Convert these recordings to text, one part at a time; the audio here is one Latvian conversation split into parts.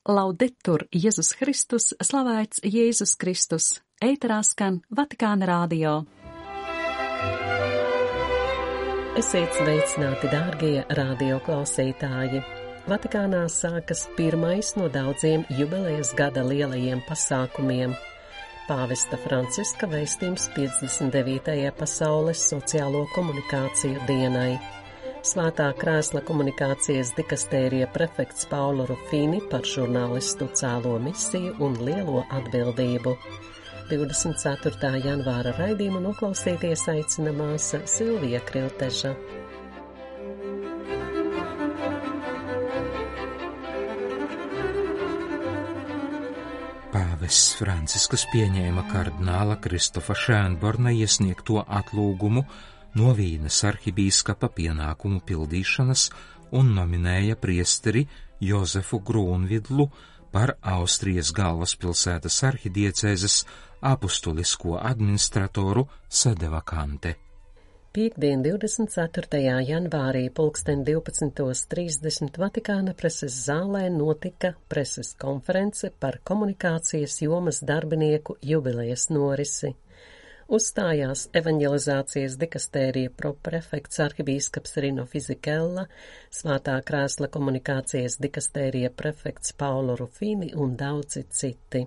Laudetur Jēzus Kristus, slavēts Jēzus Kristus, ēterā skan Vatikāna radio. Esiet sveicināti, dārgie radio klausītāji! Vatikānā sākas pirmais no daudziem jubilejas gada lielajiem pasākumiem. Pāvesta Franciska vēstījums 59. pasaules sociālo komunikāciju dienai. Svētā krēsla komunikācijas dikastērija prefekts Paulo Rufini par žurnālistu cēlo misiju un lielo atbildību. 24. janvāra raidījumu noklausīties aicina māsa Silvija Krilteža. Pāvests Francisks pieņēma kardināla Kristofa Šēnborna iesniegto atlūgumu no Vīnes arhibīskapa pienākumu pildīšanas un nominēja priesteri Jozefu Grūnvidlu par Austrijas galvaspilsētas arhidiecēzes apustulisko administratoru sede vakante. Piektdien 24. janvārī 12:30 Vatikāna preses zālē notika preses konference par komunikācijas jomas darbinieku jubilejas norisi. Uzstājās evanģelizācijas dikastērija proprefekts arhibīskaps Rino Fizikella, Svētā krēsla komunikācijas dikastērija prefekts Paulo Rufini un daudzi citi.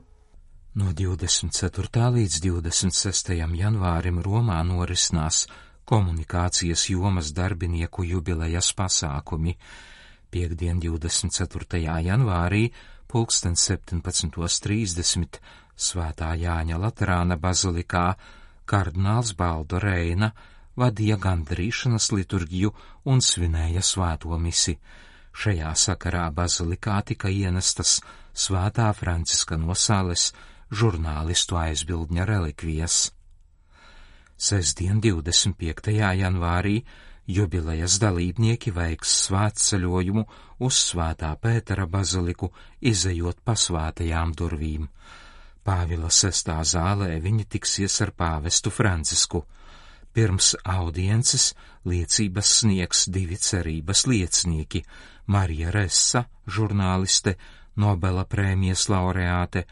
No 24. līdz 26. janvārim Romā norisinās komunikācijas jomas darbinieku jubilejas pasākumi. Piektdien 24. janvārī 17:30 Svētā Jāņa Laterāna bazilikā kardināls Baldo Reina vadīja gandrīšanas liturģiju un svinēja svēto misi. Šajā sakarā bazilikā tika ienestas Svētā Franciska no Sales žurnālistu aizbildņa relikvijas. Sestdien 25. janvārī jubilejas dalībnieki veiks svētceļojumu uz Svētā Pētera baziliku, izejot pa svētajām durvīm. Pāvila 6. zālē viņi tiksies ar pāvestu Francisku. Pirms audiences liecības sniegs divi cerības liecinieki - Marija Ressa, žurnāliste, Nobela prēmijas laureāte,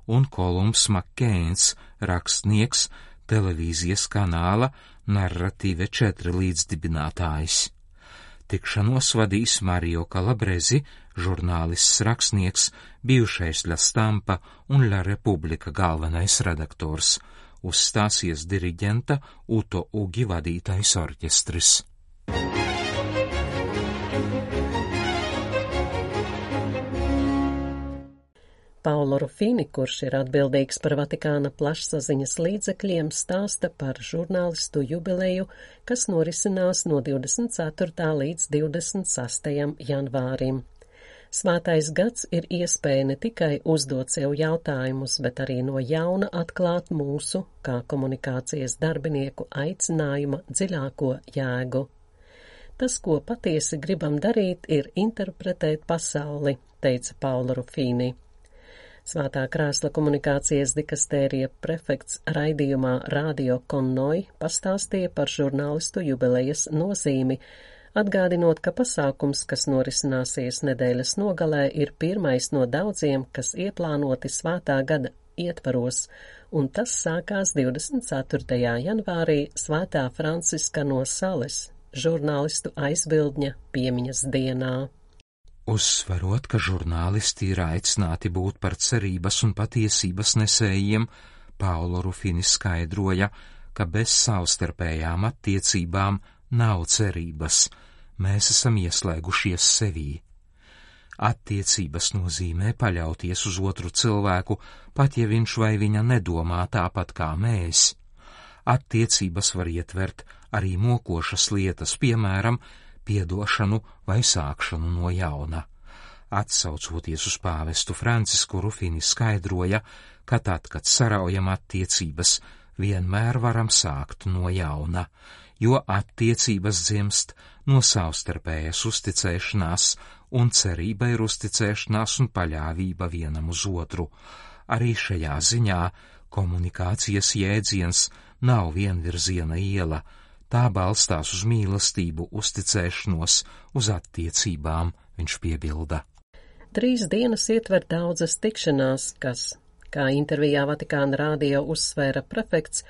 un Kolums Makkeins, rakstnieks, televīzijas kanāla Narratīve 4 līdzdibinātājs. Tikšanos vadīs Mario Calabresi, žurnālists rakstnieks, bijušais La Stampa un La Republika galvenais redaktors. Uzstāsies diriģenta Uto Ugi vadītais orķestris. Paulo Rufini, kurš ir atbildīgs par Vatikāna plašsaziņas līdzekļiem, stāsta par žurnālistu jubileju, kas norisinās no 24. līdz 26. janvārim. Svētais gads ir iespēja ne tikai uzdot sev jautājumus, bet arī no jauna atklāt mūsu, kā komunikācijas darbinieku, aicinājuma dziļāko jēgu. Tas, ko patiesi gribam darīt, ir interpretēt pasauli, teica Paulo Rufini. Svētā krēsla komunikācijas dikastērija prefekts raidījumā Radio Konnoi pastāstīja par žurnālistu jubilejas nozīmi, atgādinot, ka pasākums, kas norisināsies nedēļas nogalē, ir pirmais no daudziem, kas ieplānoti svētā gada ietvaros, un tas sākās 24. janvārī Svētā Franciska no Sales, žurnālistu aizbildņa piemiņas dienā. Uzsverot, ka žurnālisti ir aicināti būt par cerības un patiesības nesējiem, Paulo Rufini skaidroja, ka bez savstarpējām attiecībām nav cerības, mēs esam ieslēgušies sevī. Attiecības nozīmē paļauties uz otru cilvēku, pat ja viņš vai viņa nedomā tāpat kā mēs. Attiecības var ietvert arī mokošas lietas, piemēram, piedošanu vai sākšanu no jauna. Atsaucoties uz pāvestu Francisku, Rufini skaidroja, ka tad, kad saraujam attiecības, vienmēr varam sākt no jauna, jo attiecības dzimst no savstarpējas uzticēšanās, un cerība ir uzticēšanās un paļāvība vienam uz otru. Arī šajā ziņā komunikācijas jēdziens nav vienvirziena iela, tā balstās uz mīlestību, uzticēšanos, uz attiecībām, viņš piebilda. 3 dienas ietver daudzas tikšanās, kas, kā intervijā Vatikāna radio uzsvēra prefekts,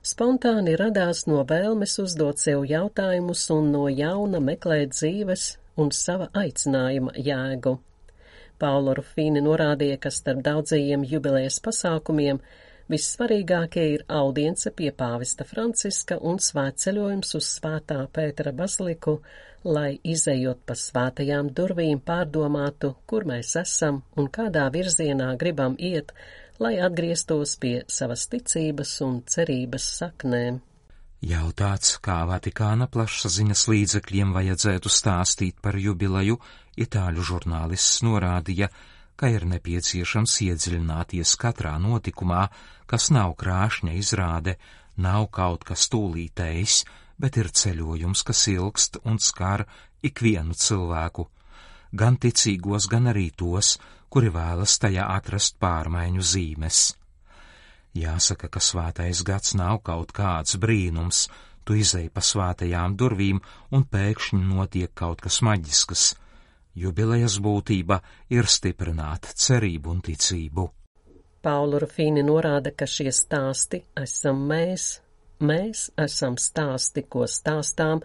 spontāni radās no vēlmes uzdot sev jautājumus un no jauna meklēt dzīves un sava aicinājuma jēgu. Paolo Rufini norādīja, ka starp daudzajiem jubilejas pasākumiem vissvarīgākie ir audience pie pāvesta Franciska un svētceļojums uz Svētā Pētera baziliku, lai izejot pa svētajām durvīm pārdomātu, kur mēs esam un kādā virzienā gribam iet, lai atgrieztos pie savas ticības un cerības saknēm. Jautāts, kā Vatikāna plašsaziņas līdzekļiem vajadzētu stāstīt par jubileju, itāļu žurnālists norādīja, ka ir nepieciešams iedziļināties katrā notikumā, kas nav krāšņa izrāde, nav kaut kas tūlītējs, bet ir ceļojums, kas ilgst un skar ikvienu cilvēku, gan ticīgos, gan arī tos, kuri vēlas tajā atrast pārmaiņu zīmes. Jāsaka, ka svētais gads nav kaut kāds brīnums, tu izej pa svētajām durvīm un pēkšņi notiek kaut kas maģisks. Jubilejas būtība ir stiprināt cerību un ticību. Paolo Rufini norāda, ka šie stāsti esam mēs. Mēs esam stāsti, ko stāstām,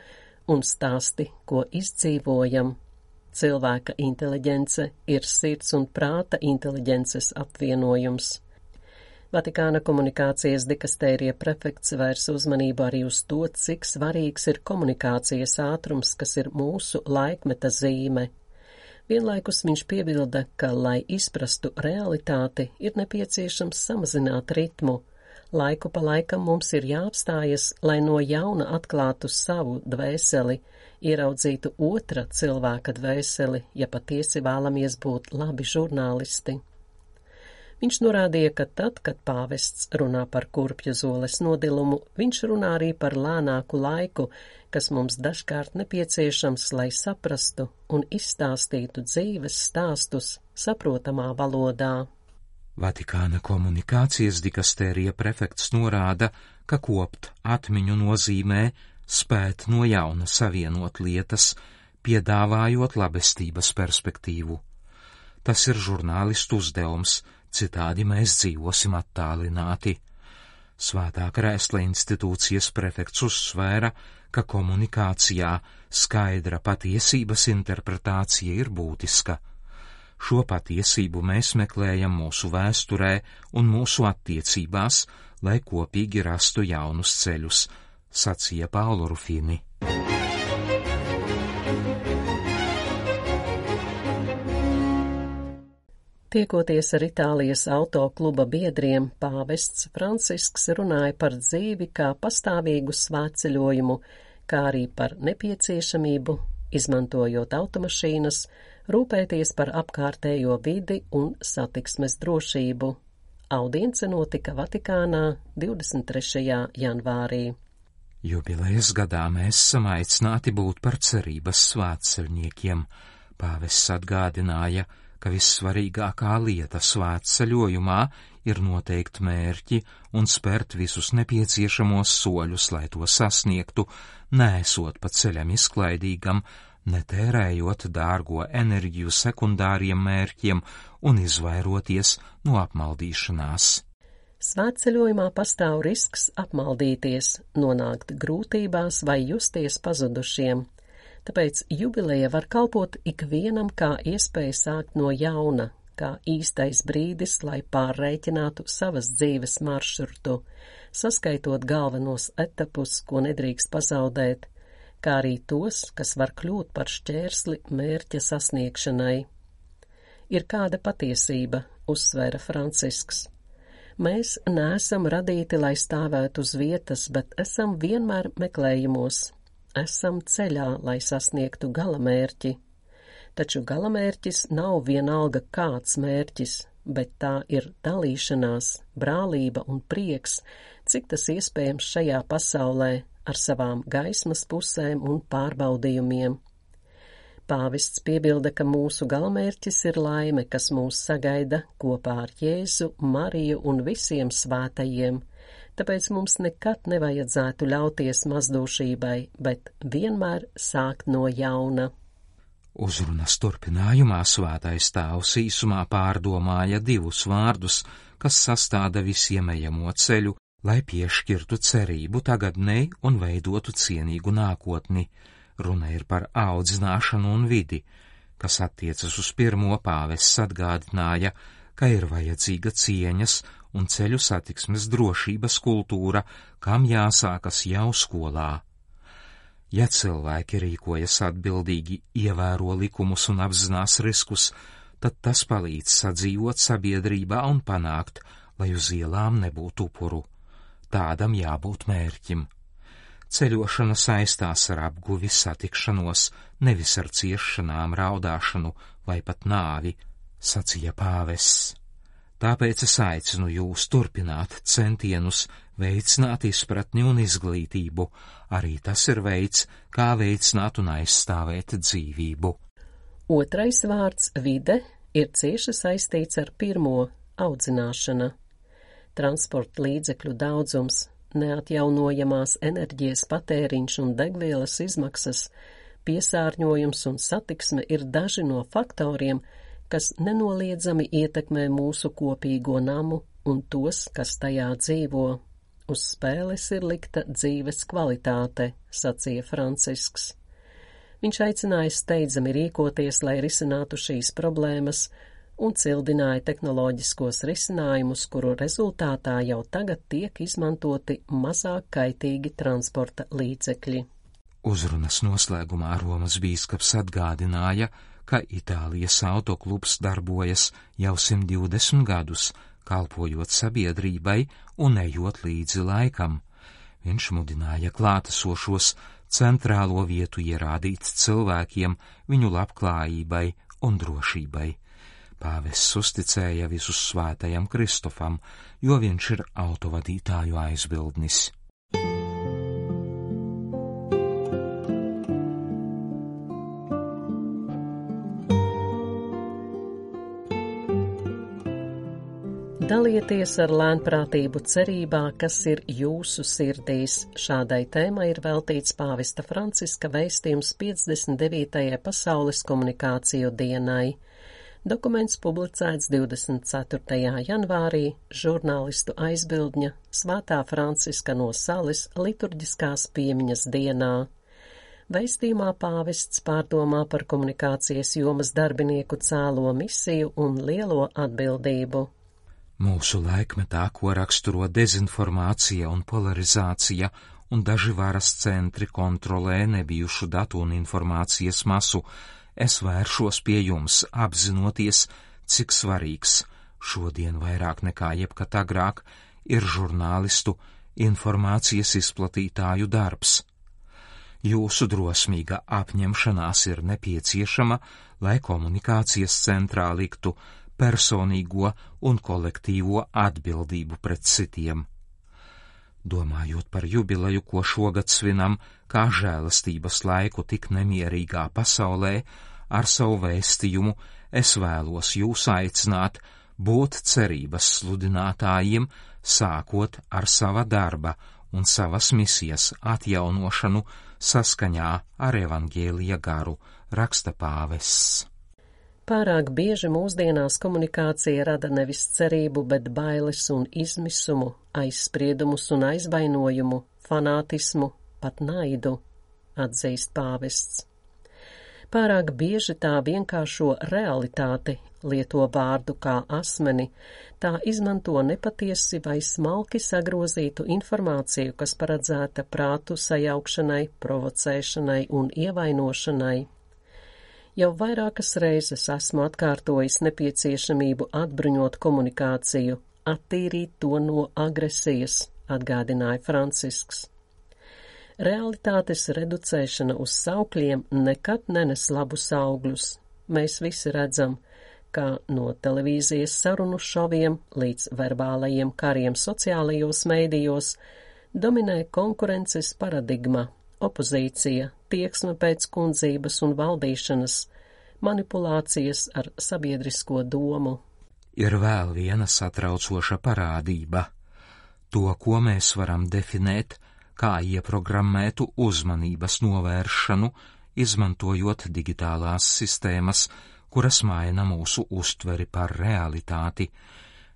un stāsti, ko izdzīvojam. Cilvēka inteliģence ir sirds un prāta inteliģences apvienojums. Vatikāna komunikācijas dikastērija prefekts vērs uzmanību arī uz to, cik svarīgs ir komunikācijas ātrums, kas ir mūsu laikmeta zīme. Vienlaikus viņš piebilda, ka, lai izprastu realitāti, ir nepieciešams samazināt ritmu. Laiku pa laikam mums ir jāapstājas, lai no jauna atklātu savu dvēseli, ieraudzītu otra cilvēka dvēseli, ja patiesi vēlamies būt labi žurnālisti. Viņš norādīja, ka tad, kad pāvests runā par kurpju zoles nodilumu, viņš runā arī par lēnāku laiku, kas mums dažkārt nepieciešams, lai saprastu un izstāstītu dzīves stāstus saprotamā valodā. Vatikāna komunikācijas dikastērija prefekts norāda, ka kopt atmiņu nozīmē spēt no jauna savienot lietas, piedāvājot labestības perspektīvu. Tas ir žurnālistu uzdevums, citādi mēs dzīvosim attālināti. Svētā Krēsla institūcijas prefekts uzsvēra, ka komunikācijā skaidra patiesības interpretācija ir būtiska. Šo patiesību mēs meklējam mūsu vēsturē un mūsu attiecībās, lai kopīgi rastu jaunus ceļus, sacīja Paolo Rufini. Tiekoties ar Itālijas autokluba biedriem, pāvests Francisks runāja par dzīvi kā pastāvīgu svētceļojumu, kā arī par nepieciešamību, izmantojot automašīnas, rūpēties par apkārtējo vidi un satiksmes drošību. Audience notika Vatikānā 23. janvārī. Jubilejas gadā mēs esam aicināti būt par cerības svētceļniekiem. Pāvests atgādināja, ka vissvarīgākā lieta svētceļojumā ir noteikt mērķi un spērt visus nepieciešamos soļus, lai to sasniegtu, neesot pa ceļam izklaidīgam, netērējot dārgo enerģiju sekundāriem mērķiem un izvairoties no apmaldīšanās. Svētceļojumā pastāv risks apmaldīties, nonākt grūtībās vai justies pazudušiem. Tāpēc jubileja var kalpot ikvienam kā iespēja sākt no jauna, kā īstais brīdis, lai pārreikinātu savas dzīves maršrutu, saskaitot galvenos etapus, ko nedrīkst pazaudēt, kā arī tos, kas var kļūt par šķērsli mērķa sasniegšanai. Ir kāda patiesība, uzsvēra Francisks. Mēs neesam radīti, lai stāvētu uz vietas, bet esam vienmēr meklējumos. Esam ceļā, lai sasniegtu galamērķi. Taču galamērķis nav vienalga kāds mērķis, bet tā ir dalīšanās, brālība un prieks, cik tas iespējams šajā pasaulē ar savām gaismas pusēm un pārbaudījumiem. Pāvests piebilda, ka mūsu galamērķis ir laime, kas mūs sagaida kopā ar Jēzu, Mariju un visiem svētajiem. Tāpēc mums nekad nevajadzētu ļauties mazdūšībai, bet vienmēr sākt no jauna. Uzrunas turpinājumā Svētais Tēvs īsumā pārdomāja divus vārdus, kas sastāda visiem ejamo ceļu, lai piešķirtu cerību tagadnei un veidotu cienīgu nākotni. Runa ir par audzināšanu un vidi, kas attiecas uz pirmo. Pāvests atgādināja, ka ir vajadzīga cieņas un ceļu satiksmes drošības kultūra, kam jāsākas jau skolā. Ja cilvēki rīkojas atbildīgi, ievēro likumus un apzinās riskus, tad tas palīdz sadzīvot sabiedrībā un panākt, lai uz ielām nebūtu upuru. Tādam jābūt mērķim. Ceļošana saistās ar apguvi, satikšanos, nevis ar ciešanām, raudāšanu vai pat nāvi, sacīja pāvests. Tāpēc es aicinu jūs turpināt centienus, veicināt izpratni un izglītību. Arī tas ir veids, kā veicināt un aizstāvēt dzīvību. Otrais vārds – vide ir cieši saistīts ar pirmo – audzināšana. Transporta līdzekļu daudzums, neatjaunojamās enerģijas patēriņš un degvielas izmaksas, piesārņojums un satiksme ir daži no faktoriem, kas nenoliedzami ietekmē mūsu kopīgo namu un tos, kas tajā dzīvo. Uz spēles ir likta dzīves kvalitāte, sacīja Francisks. Viņš aicināja steidzami rīkoties, lai risinātu šīs problēmas, un cildināja tehnoloģiskos risinājumus, kuru rezultātā jau tagad tiek izmantoti mazāk kaitīgi transporta līdzekļi. Uzrunas noslēgumā Romas bīskaps atgādināja, ka Itālijas autoklubs darbojas jau 120 gadus, kalpojot sabiedrībai un ejot līdzi laikam. Viņš mudināja klātesošos centrālo vietu ierādīt cilvēkiem, viņu labklājībai un drošībai. Pāvests uzticēja visus svētajam Kristofam, jo viņš ir autovadītāju aizbildnis. Dalieties ar lēnprātību cerībā, kas ir jūsu sirdīs. Šādai tēmai ir veltīts pāvesta Franciska vēstījums 59. pasaules komunikāciju dienai. Dokuments publicēts 24. janvārī žurnālistu aizbildņa Svētā Franciska no Sales liturģiskās piemiņas dienā. Vēstījumā pāvests pārdomā par komunikācijas jomas darbinieku cēlo misiju un lielo atbildību. Mūsu laikmetā, ko raksturo dezinformācija un polarizācija, un daži varas centri kontrolē nebijušu datu un informācijas masu, es vēršos pie jums, apzinoties, cik svarīgs šodien vairāk nekā jebkad agrāk ir žurnālistu, informācijas izplatītāju darbs. Jūsu drosmīga apņemšanās ir nepieciešama, lai komunikācijas centrā liktu personīgo un kolektīvo atbildību pret citiem. Domājot par jubileju, ko šogad svinam, kā žēlastības laiku tik nemierīgā pasaulē, ar savu vēstījumu es vēlos jūs aicināt būt cerības sludinātājiem, sākot ar sava darba un savas misijas atjaunošanu saskaņā ar evaņģēlija garu, raksta pāvests. Pārāk bieži mūsdienās komunikācija rada nevis cerību, bet bailes un izmisumu, aizspriedumus un aizvainojumu, fanātismu, pat naidu, atzīst pāvests. Pārāk bieži tā vienkāršo realitāti, lieto vārdu kā asmeni, tā izmanto nepatiesi vai smalki sagrozītu informāciju, kas paredzēta prātu sajaukšanai, provocēšanai un ievainošanai. Jau vairākas reizes esmu atkārtojis nepieciešamību atbruņot komunikāciju, attīrīt to no agresijas, atgādināja Francisks. Realitātes reducēšana uz saukļiem nekad nenes labus augļus. Mēs visi redzam, ka no televīzijas sarunu šoviem līdz verbālajiem kariem sociālajos mēdījos dominē konkurences paradigma, opozīcija, tieksme pēc kundzības un valdīšanas, manipulācijas ar sabiedrisko domu. Ir vēl viena satraucoša parādība. To, ko mēs varam definēt kā ieprogrammētu uzmanības novēršanu, izmantojot digitālās sistēmas, kuras maina mūsu uztveri par realitāti.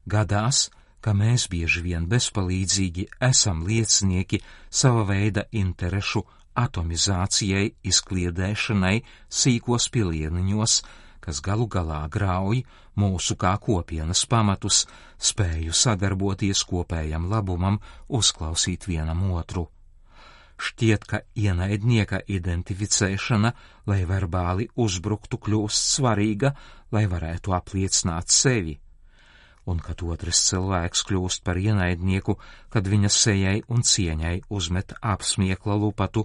Gadās, ka mēs bieži vien bezpalīdzīgi esam liecinieki sava veida interešu atomizācijai, izkliedēšanai sīkos pilieniņos, kas galu galā grauj mūsu kā kopienas pamatus, spēju sadarboties kopējam labumam, uzklausīt vienam otru. Šķiet, ka ienaidnieka identificēšana, lai verbāli uzbruktu, kļūst svarīga, lai varētu apliecināt sevi, un kad otrs cilvēks kļūst par ienaidnieku, kad viņa sejai un cieņai uzmet apsmiekla lupatu,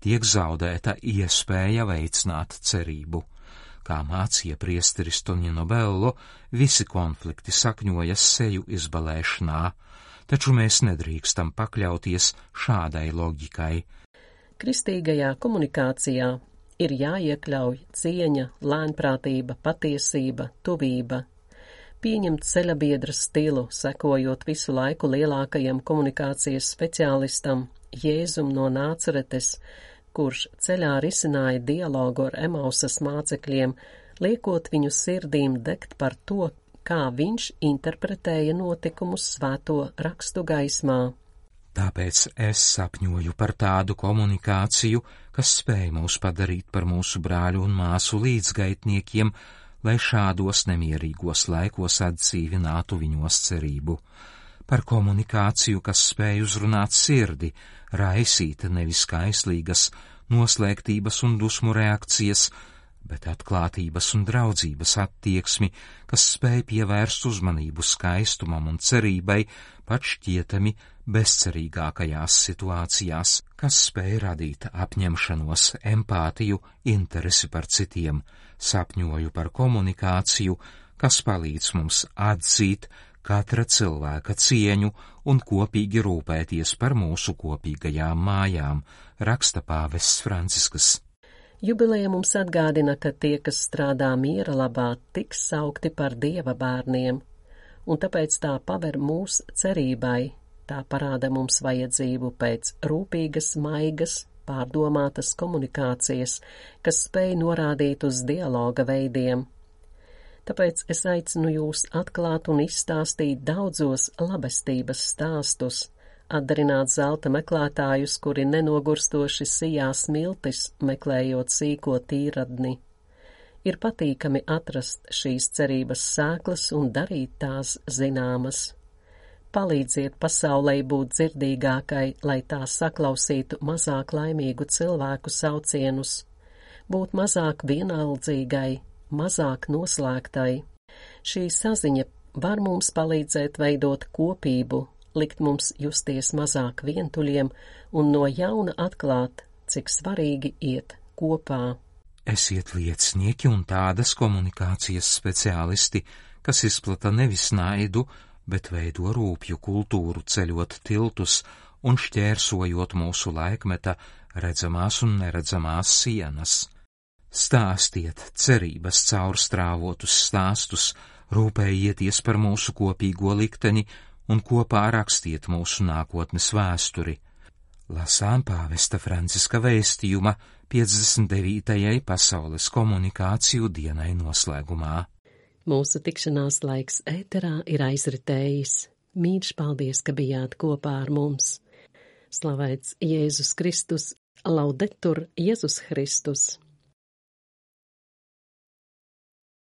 tiek zaudēta iespēja veicināt cerību. Kā mācīja priesteris Tonino Bello, visi konflikti sakņojas seju izbalēšanā, taču mēs nedrīkstam pakļauties šādai loģikai. Kristīgajā komunikācijā ir jāiekļauj cieņa, lēnprātība, patiesība, tuvība, pieņemt ceļabiedra stilu, sekojot visu laiku lielākajam komunikācijas speciālistam, Jēzum no Nācaretes, kurš ceļā risināja dialogu ar Emausas mācekļiem, liekot viņu sirdīm degt par to, kā viņš interpretēja notikumus svēto rakstu gaismā. Tāpēc es sapņoju par tādu komunikāciju, kas spēj mūs padarīt par mūsu brāļu un māsu līdzgaitniekiem, lai šādos nemierīgos laikos atdzīvinātu viņos cerību. Par komunikāciju, kas spēj uzrunāt sirdi, raisīt nevis kaislīgas, noslēgtības un dusmu reakcijas, bet atklātības un draudzības attieksmi, kas spēj pievērst uzmanību skaistumam un cerībai pat šķietami bezcerīgākajās situācijās, kas spēj radīt apņemšanos, empātiju, interesi par citiem. Sapņoju par komunikāciju, kas palīdz mums atzīt katra cilvēka cieņu un kopīgi rūpēties par mūsu kopīgajām mājām, raksta pāvests Francisks. Jubileja mums atgādina, ka tie, kas strādā miera labā, tiks saukti par Dieva bērniem, un tāpēc tā paver mūs cerībai, tā parāda mums vajadzību pēc rūpīgas, maigas, pārdomātas komunikācijas, kas spēj norādīt uz dialoga veidiem. Tāpēc es aicinu jūs atklāt un izstāstīt daudzos labestības stāstus, atdarināt zelta meklētājus, kuri nenogurstoši sijā smiltis, meklējot sīko tīradni. Ir patīkami atrast šīs cerības sēklas un darīt tās zināmas. Palīdziet pasaulei būt dzirdīgākai, lai tā saklausītu mazāk laimīgu cilvēku saucienus, būt mazāk vienaldzīgai, mazāk noslēgtai. Šī saziņa var mums palīdzēt veidot kopību, likt mums justies mazāk vientuļiem un no jauna atklāt, cik svarīgi iet kopā. Esiet liecinieki un tādas komunikācijas speciālisti, kas izplata nevis naidu, bet veido rūpju kultūru, ceļot tiltus un šķērsojot mūsu laikmeta redzamās un neredzamās sienas. Stāstiet cerības caurstrāvotus stāstus, rūpējieties par mūsu kopīgo likteni un kopā rakstiet mūsu nākotnes vēsturi. Lasām pāvesta Franciska vēstījuma 59. pasaules komunikāciju dienai noslēgumā. Mūsu tikšanās laiks ēterā ir aizritējis. Mīļš paldies, ka bijāt kopā ar mums. Slavēts Jēzus Kristus, laudetur Jēzus Kristus.